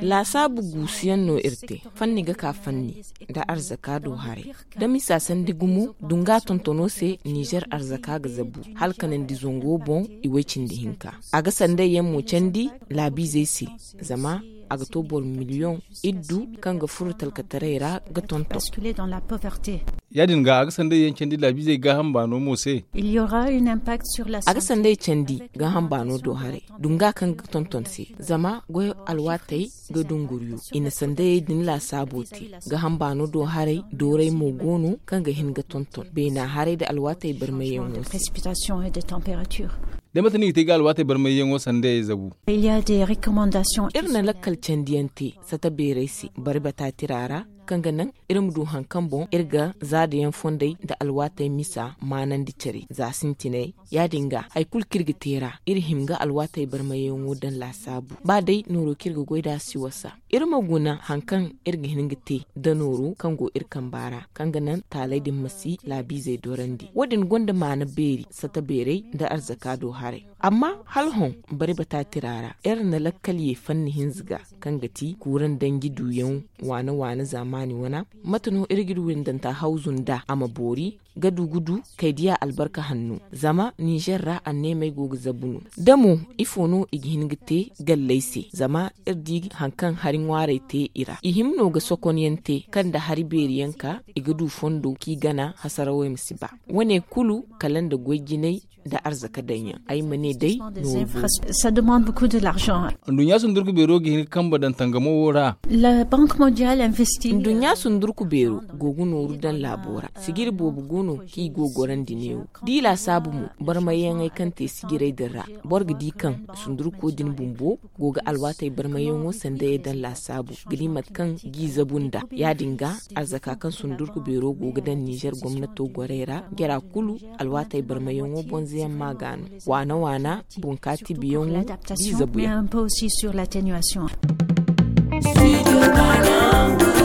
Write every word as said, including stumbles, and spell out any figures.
Laasaabu guusuyaŋ no iri te. Fanni ga ka fanni nda arzaka do haray. Da misa sandi gumo dunga tontono se, nizer arzaka ga zabu hala kanandi zango boŋ. I way cindi hinka a ga sanday yaŋ mo candi laabiizey se. Zama a ga to boro miliyoŋ iddu kaŋ ga furo talkataray ra ga tonton. Ya- din ga a ga sanday yaŋ candi laabiizey gaaham baano mo se. A ga sanday candi gaaham baano do haray dunga kaŋ ga tonton se. Zama goy alwaatey ga dunguriyo i na sandayey din laasaabo te. Gaaham baano do haray dooray mo go no kaŋ ga hin ga tonton beena haray nda alwaatey barmayyaŋo se. Da mate no i ga te ga alwaatey barmayyaŋo sandayey zabu? Iri na lakkal candiyaŋ te sata beeray se bari bata tira ra, kaŋ ga naŋ iri ma du hari kaŋ boŋ iri ga zaadayaŋ fondey nda alwaatey misa maanandi care za sintinay. Ya- din ga hari kulu kaŋ iri ga te ra iri hima ga alwaatey barmayyaŋo daŋ laasaabu ba day nooro kaŋ iri ga goy nd'a si wasa. Iri ma guna hari kaŋ iri ga hin ga te da nooro kaŋ go iri kamba ra, kaŋ ga naŋ taaley din ma si laabiizey dorandi. Wo- din gonda maana beeri sata beeray nda arzaka do haray. Amma hala hõ bari bata tira ra iri na lakkal ye fanni hinza ga, kaŋ ga ti kuuraŋ danji duuyaŋ waana waana zaamaani wana. Mate no iri ga iri windanta hawzu nd'a a ma boori ga du ga du kay diya albarka hanno. Zama nizer ra anneemey go ga zabu no da mo ifo no i ga hin ga te galley se? Zama iri di hari kaŋ hari ŋwaarey te i ra i hima no ga sokonyaŋ te kaŋ nda hari beeri yaŋ ka i ga du fondo kaŋ i gana hasarawey ma si ba. Wo- ne kulu kala nda goy jinay nda arzaka daŋ yaŋ ay ma ne day. Nduɲɲa sundurku beero ga hin ga kambe daŋ tangamo wo ra. Nduɲɲa sundurku beero go ga nooru daŋ laabo ra. Sijiri boobo go no kaŋ i go ga gorandi neewo da i laasaabu mo. Barmayyaŋey kaŋ te sijiray din ra boro ga di kaŋ sundurko din bumbo go ga alwaatey barmayyaŋo sandayey daŋ laasaabu ga di mate kaŋ g'i zabu nd'a. Ya- din ga arzaka kaŋ sundurku beero go ga daŋ nizer gomnato gorey ra jara kulu alwaatey barmayyaŋo bonzayaŋ ma ga no waana waana bunkaati biyaŋo. G'i zabuyaŋ. Studio Ghana.